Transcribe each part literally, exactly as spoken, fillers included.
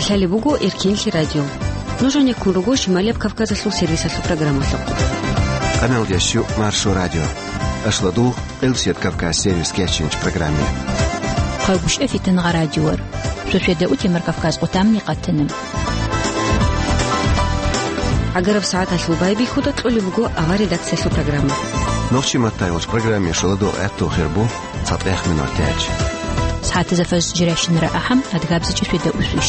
Лъалеб буго Эркенлъи радио. Нуж гьанеккун руго Шималияб Кавказалъул сервисалъул программалъухъ. Къаналдящу Маршо радио. Ашладул, Элсет Кавказ сервис кечинч программе. Хъагушев Фитангъа радиор. Шошеда утемар Кавказ къутамни къатана. Агараб сагӀаталъул байбихьуда кьолеб буго авар редакциялъул программа. Нохчи маттайвач программе шаладу гӀатту хирбу. ЦатӀех минутач. СагӀатазда фажр жирашинара ахӀам, адгабзичӀ шведа усвищ.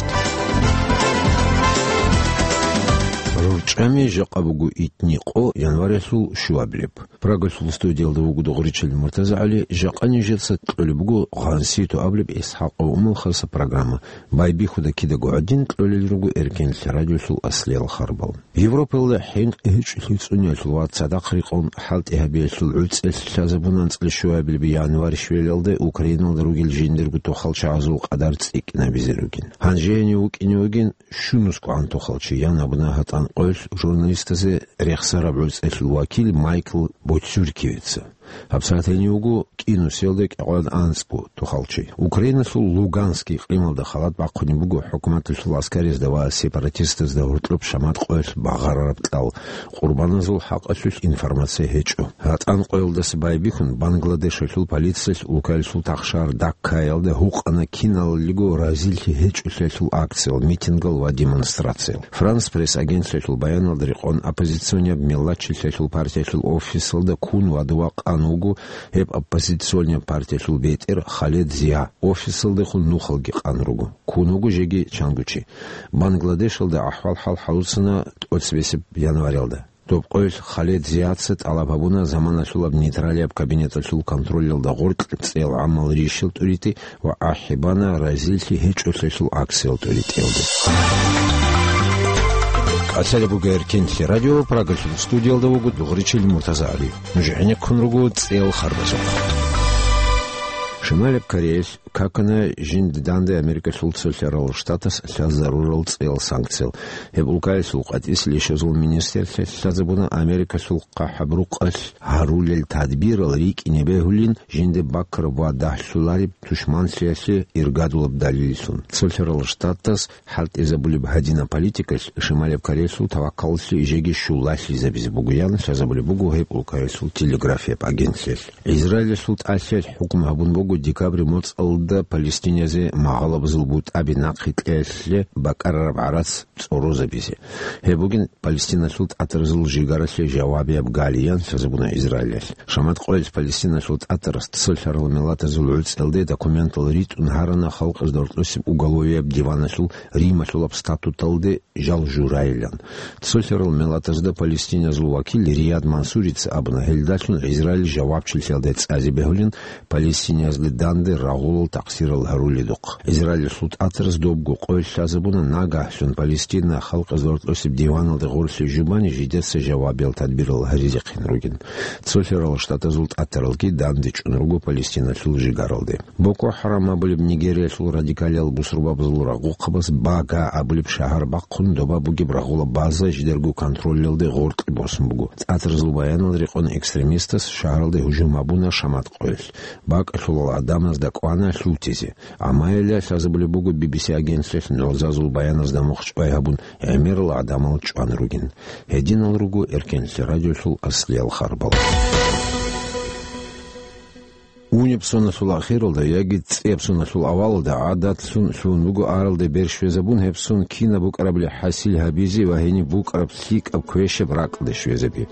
РурчӀами жакъа буго итни къо январалъул щуабилеб. Прагалъул студиялда вуго Дугъричил МуртазагӀали, жакъа нижеца кьолеб буго гъанситу абулеб ИсхӀакъов Умал хаса программа. Байбихьуда кидаго гӀадин кьолел руго Эркенлъи радиолъул аслиял харбал. Европаялда хӀинкъи гьечӀолъи цӀуниялъул ва цадахъ рекъон хӀалтӀи гьабиялъул гӀуцӀелъ лъазабун анцӀила щуабилеб январь щвелалда Украиналда ругел жиндирго тохалчагӀазул къадар цӀикӀкӀинабизе ругин. Гьанже гьенив вукӀине вугин щунусгогӀан тохалчи, ян абуна гьатӀан къоялъ журналистазе рехсараб гӀуцӀелъул вакил Майкл Боцюркиевица. ГьабсагӀат гьенив вуго кӀинусиялда кӀикъоялда анцӀго тохалчи. Украиналъул Луганский икълималда халат бахъунеб буго хӀукуматалъул аскаризда ва сепаратистазда гьоркьоб шамат къоялъ багъарараб кьал. Къурбаназул хӀакъалъулъ информация гьечӀо. ГьатӀан къоялдаса байбихьун, Бангладешалъул полициялъ улкаялъул тахшар Даккаялда гьукъана киналго разилъи гьечӀолъиялъул акциял, митингал ва демонстрациял. Франс Пресс агентствоялъул баяналда рекъон, оппозиционияб Меллачилъиялъул партиялъул офисалда ккун ва дова къан вуго гьеб оппозиционияб партиялъул бетӀер Халед Зия. Офисалдехун нухалги къан руго. Ккун вуго жеги чанго чи. Бангладешалда ахӀвал-хӀал хӀалуцана тӀоцебесеб январалда. Доб къоялъ Халед Зияца тӀалаб гьабуна заманалъулаб нейтралияб кабинеталъул контролялда гъоркь цӀел гӀамал рищал тӀуритӀи ва ахӀи бана разилъи гьечӀолъиялъул акциял тӀуритӀиялде. Лъалеб буго Эркенлъи радио, Прагалъул студиялда вуго Дугъричил МуртазагӀали. Нуж гӀенеккун руго цӀел харбазухъ. Шималаб Кореялъ какана жинда данде Америкалъул цолъарал штатас лъаз зарурал цӀел санкциял. Гьеб улкаялъул къватӀис лъишазул министрлъи лъазабуна Америкалъул хъахӀаб рукъалъ гьарулел тадбирал рикӀкӀине бегьулин, жинда бакараб ва дагьлъулареб тушманлъиялъе иргадулаб далиллъун. Цолъарал штатас хӀалтӀизабулеб гьадинаб политикалъ Шималаб Кореялъул таваккаллъи жеги щулалъизабизе бугоян лъазабулеб буго гьеб улкаялъул телеграфияб агентлъиялъ. Израилалъул тӀалъиялъ хӀукму гьабун буго декабрь моцӀалда палестинязе магӀалабазул бутӀаби нахъе кьеялъе бакӀарараб гӀарац цӀорозабизе. Гьеб бугин Палестиналъул тӀатаразул жигаралъе жавабияб галиян лъазабуна Израилалъ. Шамат къоялъ Палестиналъул тӀатарас цолъарал миллатазул гӀуцӀиялде документал ритӀун гьарана халкъазда рокьосеб уголовияб диваналъул Рималъулаб статуталде жал журайилан. Цолъарал миллатазда палестиназул вакил Рияд Мансурица абуна, гьелдалъун Израиль жавабчилъиялда цӀазе бегьулин, палестиназда данде рагъулал такъсирал гьаруледухъ. Израилалъул тӀатараз добго къоялъ лъазабуна, нагагьлъун Палестина халкъазда рокьосеб диваналде гъорлъе жубани жидеца жавабиял тадбирал гьаризехъин ругин. Цолъарал штатазул тӀатаралги данде чӀун руго Палестиналъул жигаралде. Боко ХӀарам абулеб Нигериялъул радикалиял бусурбабазул рагъухъабаз Бага абулеб шагьар бахъун доба бугеб рагъула база жидерго контролялде гъоркье босун буго. ТӀатаразул баянал рекъон экстремистас шагьаралде гьужум гьабуна шамат къоялъ. БакӀалъулал гӀадамазда кӀвана лъутизе. Амма гьелда лъазабулеб буго Би Би Си агентствоялъ нугӀзазул баяназда мухъ чӀвай гьабун гӀемерал гӀадамал чӀван ругин. Гьединал руго Эркенлъи радиолъул аслиял харбал. Унеб соналъул ахиралда яги цӀеб соналъул авалалда гӀадатлъун лъугьун буго аралде бер щвезабун, гьеб сон кинаб букӀарабали хӀасил гьабизе ва гьениб букӀараб лъикӀаб квешаб ракӀалде щвезаби.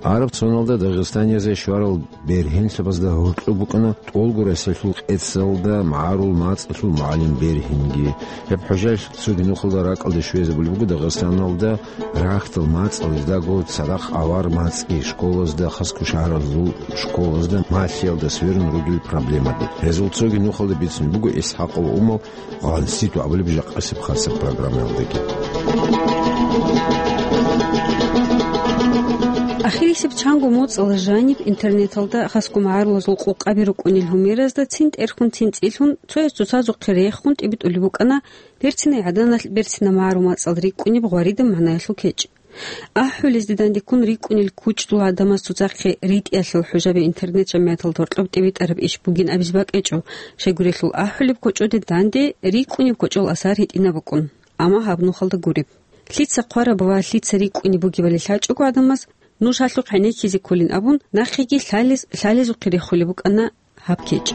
Араб соналда Дагъистаниязде щварал бергьенлъабазда гьоркьоб букӀана ТӀолго Россиялъул къецалда магӀарул мацӀалъул мугӀалим бергьинги. Гьеб хӀужаялъ цоги нухалда ракӀалде щвезабулеб буго Дагъистаналда рахьдал мацӀал, издаго цадахъ авар мацӀги, школазда, хасго шагьаралъул школазда малъиялда сверун ругел проблемаби. Гьезул цоги нухалда бицунеб буго ИсхӀакъов Умал гъанситу абулеб жакъасеб хасаб программаялдаги. Ахирисеб чанго моцӀал жаниб интернеталда хасго магӀарулазул къокъаби рукӀунел гьумеразда цин тӀерхьун, цин цӀилъун, цояс цоцазухъе рехун тӀибитӀулеб букӀана берцинай гӀаданалъ берцина магӀарул мацӀал рикӀкӀунеб гъваридаб магӀнаялъул кечӀ. АхӀулезде дандеккун рикӀкӀунел кучӀдул гӀадамаз цоцахъе ритӀиялъул хӀужаби интернет-жамигӀаталда гьоркьоб тӀибитӀараб иш бугин абизе бакӀичӀо, щайгурелъул ахӀулеб кочӀоде данде рикӀкӀунеб кочӀол асар гьитӀинаб букӀун. амма гьаб нухалда гуреб. Лъица хъвараб ва лъица рикӀкӀунеб бугебали лъачӀого гӀадамаз, нуж гьалъухъ гӀенеккизе кколин абун, нахъеги лъалез-, лъалезухъе рехулеб букӀана гьаб кечӀ.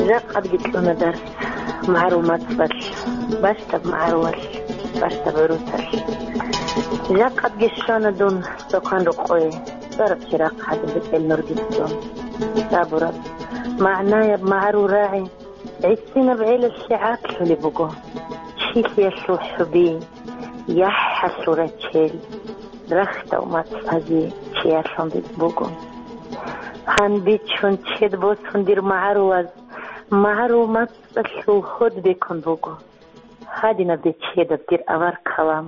Жакъадги кьуна дарс магӀарул мацӀалъ, бащдаб магӀарулалъ, бащдаб гӀурусалъ. Жакъадги щвана дун цохъан рокъое, цӀараб чирахъ гӀадин бетӀел нурги цӀун. Сабураб, магӀнаяб магӀарул рагӀи гӀисинаб гӀелалъе гӀаклъулеб буго. Чилъиялъул хӀуби, яхӀалъул рачел, рахьдал мацӀазе чиярлъун буго. Гьанбичун чед босун дир магӀарулаз, магӀарул мацӀалъул гьод бекун буго. Гьадинаб дечедаб дир авар-калам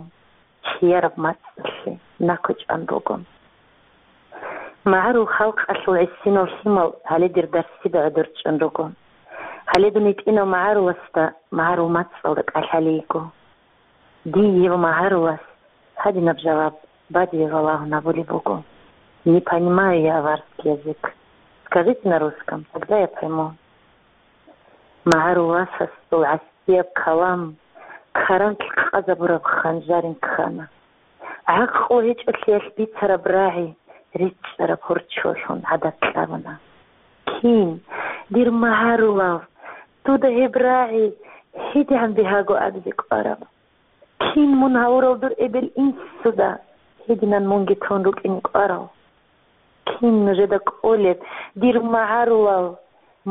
чияраб мацӀалъе накучӀан буго. МагӀарул халкъалъул гӀисинал лъимал гьале дир дарсида гӀодор чӀун руго. Гьале дун гьитӀинав магӀаруласда магӀарул мацӀалда кӀалъалейго. Дие ва магӀарулас гьадинаб жаваб бадибе балагьун абулеб буго: «Не понимаю я аварский язык. Скажите на русском, тогда я пойму». МагӀарул васасул гӀасияб калам каранлъ къазабураб ханжарин ккана. ГӀакълу гьечӀолъиялъ бицараб рагӀи ричӀчӀараб гьорчолъун гӀадат кьабуна. Кин, дир магӀарулав, дуда гьеб рагӀи гьедигӀан бигьаго абизе кӀвараб? Кин мун гьавурал дур эбел-инсуда гьединан мунги тун рукӀине кӀварав? Кин нужеда кӀолеб, дир магӀарулал,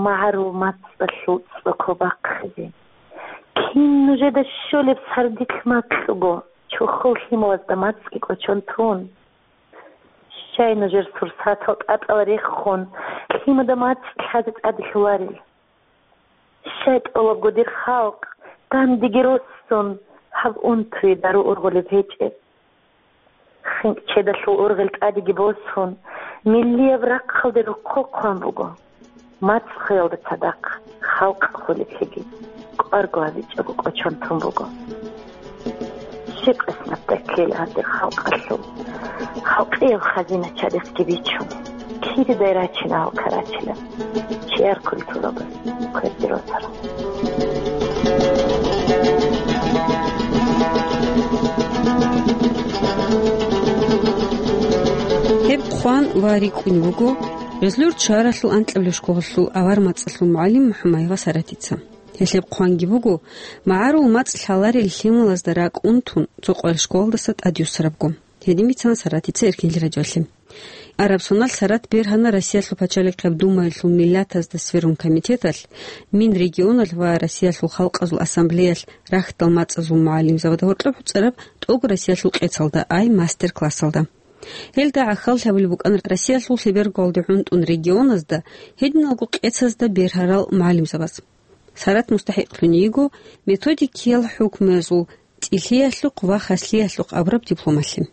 магӀарул мацӀалъул цӀоко бахъизе? Кин нужеда щолеб сардилъ макьуго, чохол лъималазда мацӀги кӀочон тун? Щай нужер сурсатал тӀатӀал рехун, лъимада мацӀ лъазе тӀаде лъоларел? Щай тӀолабго дир халкъ, дандеги руссун, гьаб унтуе дару ургъулеб гьечӀеб? ХинкӀ чедалъул ургъел тӀадеги босун, миллияб рахъалде рохъо хъван буго. МацӀ хвеялда цадахъ халкъ хвелеблъиги кӀварго гьабичӀого кӀочон тун буго. Щиб къисматда ккела гьанде халкъалъул, халкъияб хазина чадихъги бичун, киридай рачина гьал карачила, чияр культурабаз кверде росарал. Гьеб хъван ва рикӀкӀунеб буго Гъезлур чаралъул анкьабилеб школалъул авар мацӀалъул мугӀалим МухӀамаева Саратица. Гьелъеб хъванги буго, магӀарул мацӀ лъаларел лъималазда ракӀ унтун, цо къваригӀел школалдаса тӀадюссарабго. Гьедин бицана Саратица Эркенлъи радиоялъе. Араб соналъ Сарат бергьана Россиялъул пачалихъияб Думаялъул миллатазда сверун комитеталъ, Минрегионалъ ва Россиялъул халкъазул ассамблеялъ рахьдал мацӀазул мугӀалимзабазда гьоркьоб гьуцӀараб тӀогӀрасиялъул къецалда, ай мастер-классалда. Гьелда гӀахьаллъи гьабулеб букӀана Россиялъул лъеберго гӀунтӀун регионазда, гьединалго къецазда бергьарал мугӀалимзабаз. Сарат мустахӀикълъун йиго методикиял хӀукмуязул тӀилъиялъухъ ва хаслъиялъухъ абураб дипломалъе.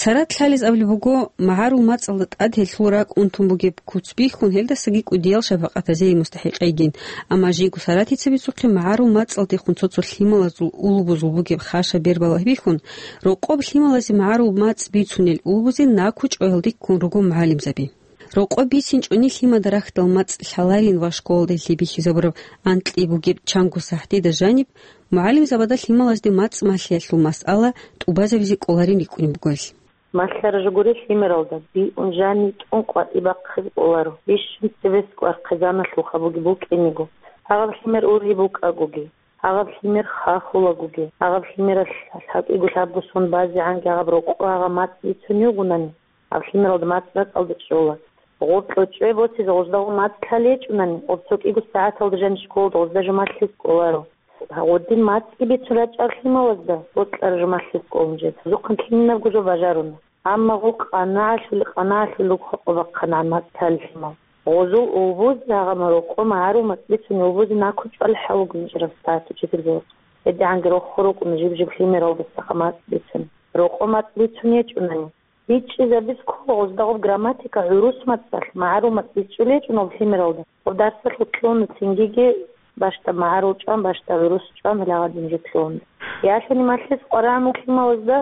Сарат лъалез абулеб буго, магӀарул мацӀалда тӀад гьелъул ракӀ унтун бугеб куц бихьун, гьелдасаги кӀудиял шапакъатазеги мустахӀикъ йигин, амма жийго Саратица бицухъе магӀарул мацӀалдехун цо-цо лъималазул улбузул бугеб хашаб бербалъи бихьун, рокъоб лъималазе магӀарул мацӀ бицунел улбузе накучӀоялде ккун руго мугӀалимзаби. Рокъоб бицинчӀони лъимада рахьдал мацӀ лъаларин ва школалда гьелъие бихьизабураб анкьи бугеб чанго сахӀтида жаниб, мугӀалимзабазда лъималазде мацӀ малъиялъул масъала тӀубазабизе кӀоларин рикӀкӀунеб буго гьелъ. Малъараб жо гури лъимералда, биун жаниб тӀун къватӀиб бахъизе кӀоларо, бищун цебесеб кӀвар хъизаналъулха бугеб букӀиниго. Гьагъаб лъимер ургьиб букӀагоги, гьагъаб лъимер хахулагоги, гьагъаб лъимералъ гьалъ гьакӀиго лъабго сон базегӀанги гьагъаб рокъо гьагъаб мацӀ бицунев гунани, гьаб лъимералда мацӀ ракӀалда чӀола. Гъоркьо чӀвай босизе гъоздаго мацӀ лъалечӀунани, гъоб цо кӀиго сагӀаталда жаниб школалда гъозда жо малъизе кӀоларо. Гъодин мацӀги бицун рачӀарал лъималазда бокьараб жо малъизе кӀолин жеца. Гьезухъан кинабго жо бажаруна. Амма гъол къанагӀалъули-къанагӀалъули руго къо бахъана мацӀ лъалел лъимал. Гъозул улбуз, гьагъаб рокъо магӀарул мацӀ бицунел улбузе накучӀвал хӀал буго гьечӀеб статус учительзабазул. ГьедигӀанги рохо рукӀуна жиб-жиб лъимералдасаха мацӀ бицун. Рокъо мацӀ бицун гьечӀунани, бичӀчӀизабиз ккола гъозда гъоб грамматика, гӀурус мацӀалъ, магӀарул мацӀ бичӀчӀулей гьечӀо гьоб лъимералда. Гъоб дарсалъ кьуна цингиги бащдаб магӀарул чӀван, бащдаб гӀурус чӀван, гьеле гьадин жо кьуна. Ялъуни малъизе кӀварагӀанав лъималазда,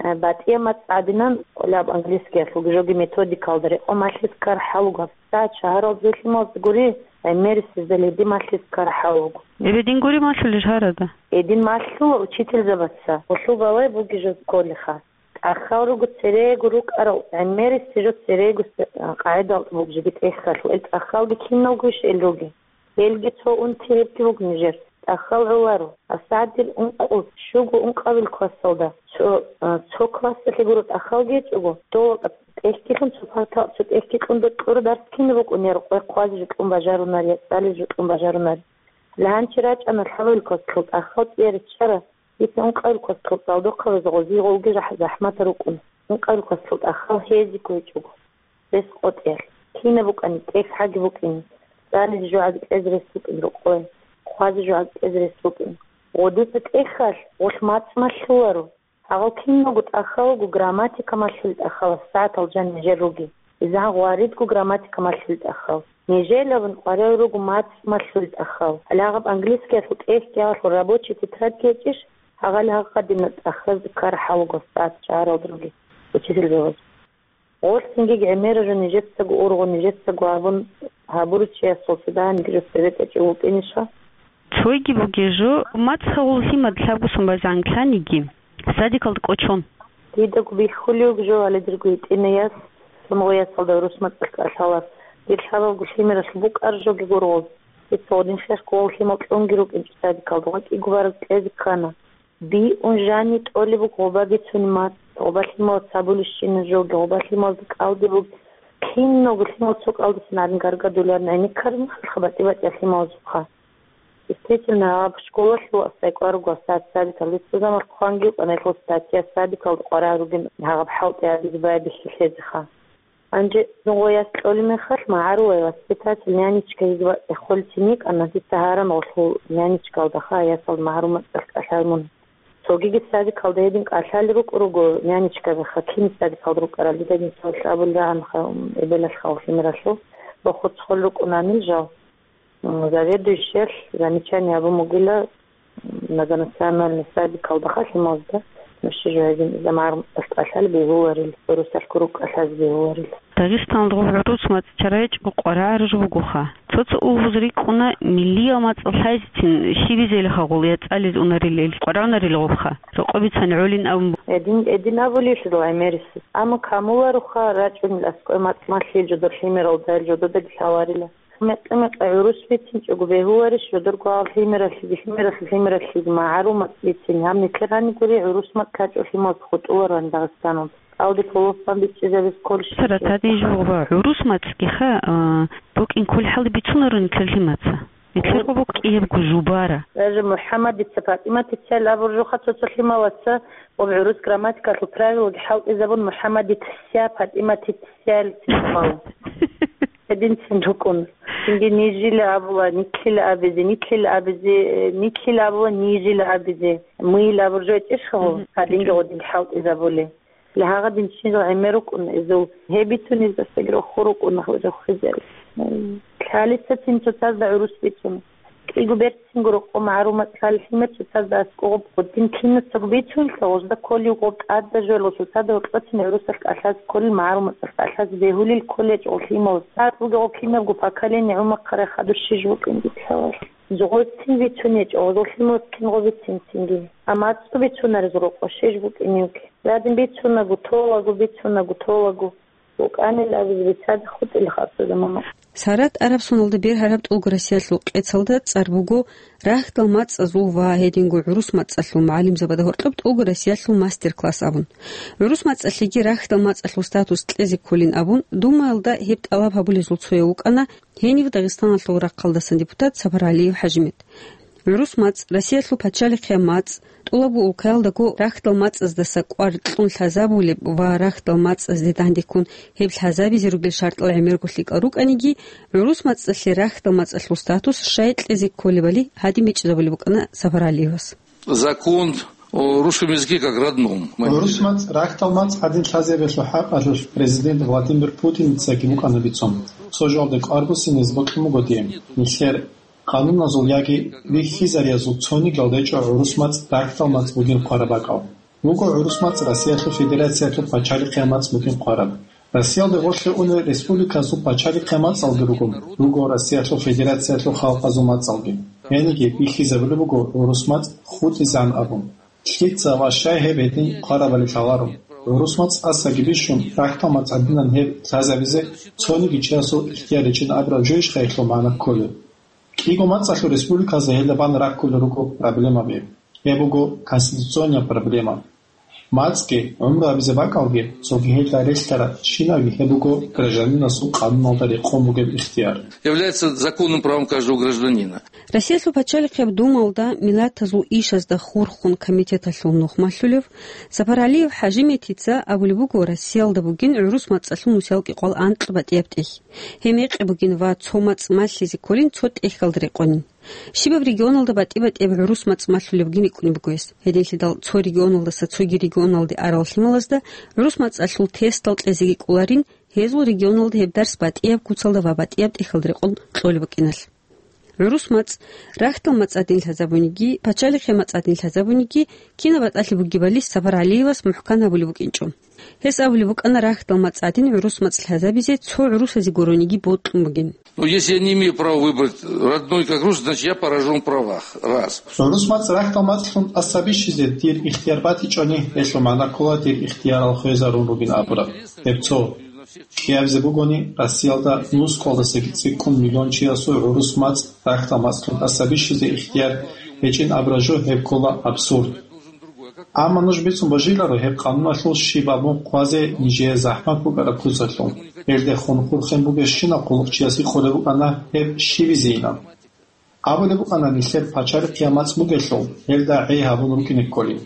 э, батӀияб мацӀ гӀадинан, кӀолеб английскиялъулги жоги методикалда рекъон малъизе ккараб хӀал буго. ГьабсагӀат шагьаралда лъималазда гури, гӀемерисезда леди малъиз ккарахӀал вуго. Эбе дин гури малъулел гьарада? Эдин малъула учительзабаца, гъулъул балай буги жо кколеха. ТӀахьал руго церего рукӀарал гӀемерисез жо церего с-, къагӀидал бугжиги тӀехьалъу, эл тӀахьалги киналгойищ эл руги. Гьелги цо унти гьебги буго нижер. ТӀахьал гӀоларо. Асадил ункъо, щуго ункъабил классалда. Цо, а, цо классалъе гуро тӀахьалги гьечӀого. Дола тӀехьгилъун цо парта, цо тӀехьги кьун докьура дарс кина букӀунеро, къвай хъвазе жо кьун бажарунар, я цӀализе жо кьун бажарунар. Лъанчи рачӀана лъабабил классалъул тӀахьал цӀияр риччара. Дица ункъабил классалъул цӀалдохъабазе гъозие гъовги жахӀ-, захӀматал рукӀун. Ункъабил классалъул тӀахьал гьезиго гьечӀого. Рес къотӀиялъ. Кинаб букӀани, тӀехьаги букӀин. ЦӀализе жо гӀаги кьезе рес букӀин рукъой. Хъвазе жо гӀаги кьезе рес букӀин. Гъодица тӀехьалъ гъолъ мацӀ малъуларо. Гьагъал киналго тӀахьалго грамматика малъулел тӀахьал сагӀатал жан нижер руги. Изан гъваридго грамматика малъулел тӀахьал. Нижелабун къварал руго мацӀ малъулел тӀахьал. Гьале гьаб английскиялъул тӀехьги гьалъул рабочий тетрадьги гьечӀищ, гьагъали гьагъадина тӀахьазда ккарахӀал вуго сагӀат чагӀаралда руги учитель бегьуз. Гъолъ цинги гӀемера жо нижецаго ургъу, нижецаго абун гьабуручиясул цо дагьаниги жо цебетӀечӀев вукӀиниша? Цойги бугей жо, мацӀ гьавул лъимад лъабгусан базегӀан лъаниги, садикалда кӀочон. Дидаго бихьулев жо гьале дирго гьитӀинаяс, цо гъоясалда гӀурус мацӀалъ кӀалъалас. Дир лъабабго лъимералъ букӀар жоги гургъуз. Дица гъодин хехго гъов лъимал кьунги рукӀинчӀо садикалда, гъвакӀиго бараб кьезе ккана. Биун жани тӀолеб буго гъоба бицунеб мацӀ, гъоба лъималац гьабулищина жоги, гъоба лъималазда кӀалдиб буго. Киналго лъимал цо кӀалдисан гӀадин гаргадуларин гӀенеккараб мехалъха батӀи-батӀияб лъималазухъа. Действительно, гьаб школалъул асдай кӀвар руго сад-, садикалде цо заман хъванги вукӀана гьелъул статья, садикалда къваригӀел ругин гьагъаб хӀалтӀи гьабизе байбихьи лъезеха. Гьанже гъояс кьолеб мехалъ магӀарулай воспитатель, нянечка гьезие хъвалцин йикӀана, дица гьаран гъолъул нянечкалдаха ясалда магӀарул мацӀалъ кӀалъай мун. Цогиги садикалда гьедин кӀалъалел рукӀун руго нянечкабиха, кин садикалда рукӀарал, дида динцаялъ абулеб рагӀанха, эбелалъха гъолъ лъимералъул, бахуцхъулел рукӀунанил жал. М, заведующиялъ замечание гьабун бугила, м, многонациональный садикалда халималда, нуша жо гьедин замагӀар кӀалъалел бегьуларел, гӀурусалъ кӀалъазе бегьуларел. Дагъистаналда гъоб гӀурус мацӀ чара гьечӀого къваригӀараб жо бугоха. Цо-цо улбуз рикӀкӀуна, миллиял мацӀал лъайзецин щибизелха гъол я цӀализ унарилел, къваригӀунарил гъобха, рокъоб бицани гӀолин абун. Гьедин, гьедин абулелъул гӀемерисез. Амма камулароха рачӀунел аскӀой мацӀ малъил жодор лъимералда, ил жододаги лъаларила. Мекъи-мекъи гӀурус бицинчӀого бегьуларищ жодорго гьал лъимералъиги, лъимералъи, лъимералъиги магӀарул мацӀ бицин? Гьаб нилъер гьанигури гӀурус мацӀ лъачӀо лъималаз хутӀулароан Дагъистаналда. Алди полофан бичӀчӀизабиз кколищ? Сарат, гьадин жо гъоба, гӀурус мацӀгиха, а, букӀин кколхӀалда бицунаро нилъер лъимаца. Нилъер гъоба кӀиябго жубара. Даже МухӀаммадица ПатӀиматицайл абур жоха цо-цо лъималаца, гъоб гӀурус грамматикалъул правилаги хӀалтӀизабун МухӀаммадица ПатӀиматицайл лъимал. Гьединцин рукӀун. Цинги нижила абула, нитлъила абизе, нитлъила абизе, э, нитлъила абула, нижила абизе, мыйила абур жо гьечӀищ гьав, Мгм. Гьадинги гъодинги хӀалтӀизабули. Лагьагъадин ччинал гӀемер рукӀун изул. Гьеб бицунездасаги рохур рукӀуна, рохизари. Лъалисацин цоцазда гӀурус бицун. КӀиго берцинго рокъо магӀарул мацӀ лъалел лъимер цоцазда аскӀоб гъодин кинацаго бицунелъул, гъозда кколев гъоб тӀадаб жоялъул цоцазда гьоркьоцин гӀурусалъ кӀалъазе кколел, магӀарул мацӀалъ кӀалъазе бегьулел кколечӀо лъимал. ЦӀакъ бугеб гъоб кинабго поколение гӀумахъарай хадур щиж букӀин дица гьавал. Гъозцин бицунечӀо, гъозул лъималаз кингъо бицин цинги. Амма цо бицунарезул рокъо щиж букӀиневги. Гьадин бицунаго, толаго, бицунаго, толаго. БукӀанил абизе бицаде хутӀила хасуда мама. Сарат Арабсоналда бергьараб ТӀолго Россиялъул къецалда цӀар буго «Рахьдал мацӀазул ва гьединго гӀурус мацӀалъул мугӀалимзабазда гьоркьоб ТӀолго Россиялъул мастер-класс» абун. ГӀурус мацӀалъеги рахьдал мацӀалъул статус кьезе кколин абун, Думаялда гьеб тӀалаб гьабулезул цояв вукӀана гьенив Дагъистаналъул рахъалдасан депутат Сапаралиев ХӀажимет. ГӀурус мацӀ, Россиялъул пачалихъияб мацӀ, тӀолабго улкаялдаго рахьдал мацӀаздаса кӀвар кьун лъазабулеб ва рахьдал мацӀазде дандеккун гьеб лъазабизе ругел шартӀал гӀемерго лъикӀал рукӀаниги, гӀурус мацӀалъе рахьдал мацӀалъул статус щай кьезе кколебали гьадин бичӀчӀизабулеб букӀана Сапаралиевас. Закон о русском языке как родном. ГӀурус мацӀ рахьдал мацӀ гьадин лъазабиялъул хӀакъалъулъ президент Владимир Путиницаги букӀана бицун. Цо жоялда кӀвар буссине бокьун буго дие. Нилъер къануназул яги вихьизариязул цонигиял гьечӀо гӀурус мацӀ рахьдал мацӀ бугин хъвараб бакӀал. Вуго гӀурус мацӀ Россиялъул Федерациялъул пачалихъияб мацӀ бугин хъвараб. Россиялде гъорлъе унел республикасул пачалихъе мацӀалги руго, руго Россиялъул Федерациялъул халкъазул мацӀалги. Гьениги бихьизабулеб буго гӀурус мацӀ хутӀизегӀан абун. Лъица ва щай гьеб гьедин хъварабали лъаларо. ГӀурус мацӀ тӀасаги бищун, рахьдал мацӀ гӀадинан гьеб лъазабизе цониги чиясул ихтияр гьечӀин абураб жойищха гьелъул магӀна кколеб? КӀиго мацӀалъул республиказда гьелда бан раккулел руго проблемаби. Гьеб буго конституционная проблема. МацӀги, гӀумру гьабизе бакӀалги, цоги гьелда релълъараб щинабги гьеб буго гражданинасул къануналда рекъон бугеб ихтияр. Является законным правом каждого гражданина. Россиялъул пачалихъеб Думалда миллатазул ишазда хурхун комитеталъул нухмалъулев Сапаралиев ХӀажиметтица абулеб буго, Россиялда бугин гӀурус мацӀалъул нусиялги къвал анкьа батӀияб тӀехь. Гьеб мекъи бугин ва цо мацӀ малъизе кколин цо тӀехьалда рекъонин. Щибаб регионалда батӀи-батӀияб гӀурус мацӀ малъулеб бугин рикӀкӀунеб буго гьес. Гьединлъидал цо регионалдаса цоги регионалде арал лъималазда гӀурус мацӀалъул тестал кьезеги кӀоларин, гьезул регионалда гьеб дарс батӀияб куцалда ва батӀияб тӀехьалда рекъон кьолеб букӀиналъ. ГӀурус мацӀ рахьдал мацӀ гӀадин лъазабуниги, пачалихъе мацӀ гӀадин лъазабуниги, кинаб батӀалъи бугебали Сапаралиевас мухӀкан гьабулеб букӀинчӀо. Гьес абулеб букӀана рахьдал мацӀ гӀадин гӀурус мацӀ лъазабизе цо гӀурусазе гурониги бокьун бугин. Ну, если я не имею права выбрать родной как рус, значит, я поражен в правах. Раз. ГӀурус мацӀ рахьдал мацӀлъун тӀаса бищизе дир ихтияр батичӀони, гьелъул магӀна ккола дир ихтиярал хвезарун ругин абураб. Гьеб цо. Кьиябизе бугони, Россиялда нусхъалдасаги цӀикӀкӀун миллион чиясул гӀурус мацӀ рахьдал мацӀлъун тӀаса бищизе ихтияр гьечӀин абураб жо гьеб ккола абсурд. Амма нуж бицун божиларо гьеб къануналъул щиб абун хъвазе нижее захӀмат букӀараб куцалъул. Гьелдехун хурхен бугебщинаб хъулухъчияс гьикъулеб букӀана гьеб щибизейилан. Абулеб букӀана нилъер пачалихъ я мацӀ бугелъул, гьелда гӀей гьабун рукӀине кколин.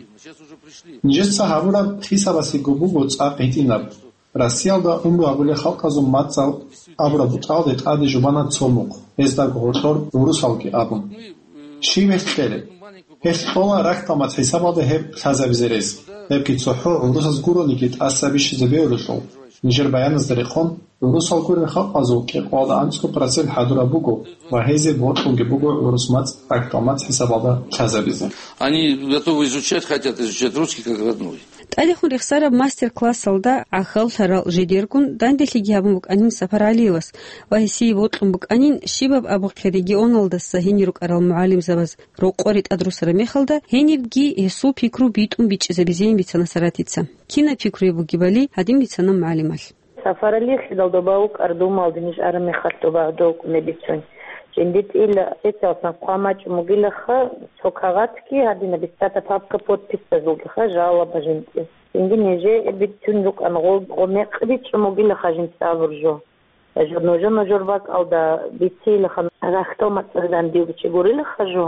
Нижеца гьабураб хисабасего буго цӀакъ гьитӀинаб. Россиялда гӀумру гьабулел халкъазул мацӀал абураб бутӀалде тӀаде жубана цо мухъ, гьездаго гьоркьор гӀурусалги абун. Щиб гьелъ кьелеб? Гьелъ кьола рахьдал мацӀ хӀисабалда гьеб лъазабизе рес. Гьебги цохӀо гӀурусаз гурониги тӀаса бищизе бегьулелъул, нижер баяназда рекъон, гӀурусал гурел халкъазул кӀикъоялда анцӀго процент хӀадураб буго ва гьезие бокьунги буго гӀурус мацӀ рахьдал мацӀ хӀисабалда лъазабизе. Они готовы изучать, хотят изучать русский как родной. ТӀадехун рехсараб мастер-классалда гӀахьаллъарал жидергун данделъиги гьабун букӀанин Сапаралиевас ва гьесие бокьун букӀанин, щибаб абухъе регионалдаса гьенир рукӀарал мугӀалимзабаз рокъоре тӀадрусараб мехалда, гьенибги гьесул пикру битӀун бичӀчӀизабизейин бицана Саратица. Кинаб пикруе бугебали гьадин бицана мугӀалималъ. Сапаралиевлъидал доба вукӀар Думалде ниж араб мехалъ доба гӀодов вукӀунеб бицун. Жиндир тӀила специалсан хъван бачӀун бугилаха, цо кагъатги гьадинаб бицата папка подписьтазулгиха жалоба жинцӀи. Цинги нижее бицун рукӀан гъо-, гъо мекъи бичӀчӀун бугилаха жинца абур жо. Жо-, нужа-нужер бакӀалда бицейилаха рахьдал мацӀалъ дандив чи гурилаха жо.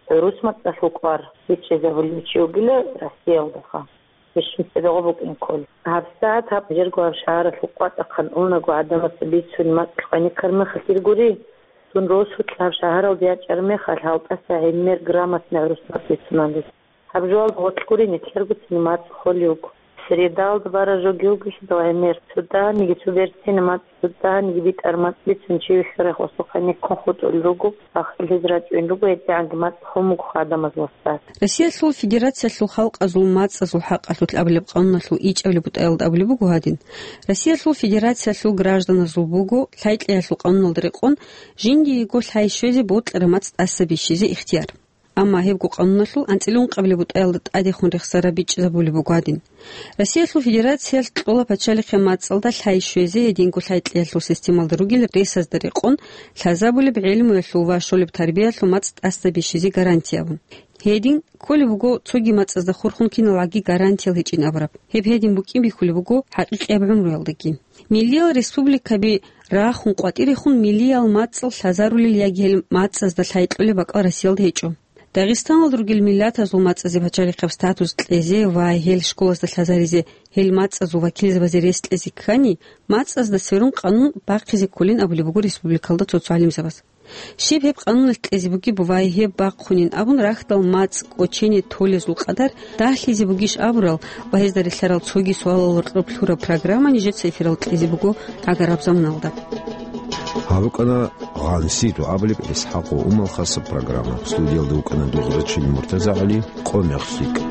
ГӀурус мацӀалъул кӀвар бичӀчӀизабулев чи вугила Россиялдаха. Бищун цебегъо букӀин ккола. ГьабсагӀат гьаб жерго гьаб шагьаралъул къватӀахъан унаго гӀадамаца бицун мацӀ къваниккар мехалъ иргури, цун росулъ гьаб шагьаралде ячӀар мехалъ гьалтӀаса гӀемер грамотный гӀурус мацӀ бицунан рес. Гьаб жоялда гъоркь гури нилъергоцин мацӀ холев вуго. Средалда бара жоги вугищ дов гӀемер, цо даниги цо берцина мацӀ, цо даниги битӀар мацӀ бицун чи вихьарай хосухъа никкун хутӀулел руго, ахил гьез рачӀун руго, гьедигӀанги мацӀ хун буго гӀадамаз васас. Россиялъул Федерациялъул халкъазул мацӀазул хӀакъалъулъ абулеб къануналъул ичӀабилеб бутӀаялда абулеб буго гьадин: Россиялъул Федерациялъул гражданазул буго лъай-кьеялъул къануналда рекъон жиндиего лъай щвезе бокьараб мацӀ тӀаса бищизе ихтияр. Амма гьебго къануналъул анцӀила ункъабилеб бутӀаялда тӀадехун рехсараб бичӀчӀизабулеб буго гьадин: Россиялъул Федерациялъ кьола пачалихъе мацӀалда лъай щвезе, гьединго лъай-кьеялъул системалда ругел ресазда рекъон, лъазабулеб гӀелмуялъул ва щолеб тарбиялъул мацӀ тӀаса бищизе гарантия абун. Гьедин кколеб буго цоги мацӀазда хурхун киналгӀаги гарантиял гьечӀин абураб. Гьеб гьедин букӀин бихьулеб буго хӀакъикъияб гӀумруялдаги. Миллиял республикаби рахун къватӀирехун миллиял мацӀал лъазарулел яги гьел мацӀазда лъай кьолеб бакӀал Россиялда гьечӀо. Дагъистаналда ругел миллатазул мацӀазе пачалихъаб статус кьезе ва гьел школазда лъазаризе, гьел мацӀазул вакилзабазе рес кьезе ккани, мацӀазда сверун къанун бахъизе кколин абулеб буго республикалда цо-цо гӀалимзабаз. Щиб гьеб къануналъ кьезе бугеб ва гьеб бахъунин абун рахьдал мацӀ кӀочене толезул къадар дагьлъизе бугищ абурал ва гьезда релълъарал цоги суалал гьоркьоб лъураб программа нижеца эфиралда кьезе буго гӀагараб заманалда. Гьаб букӀана Гъанси дугӀабулеб ИсхӀакъ ва Умал хасаб программа. Студиялда вукӀана Дугърачил МуртазагӀали, Къо мехсикӀ.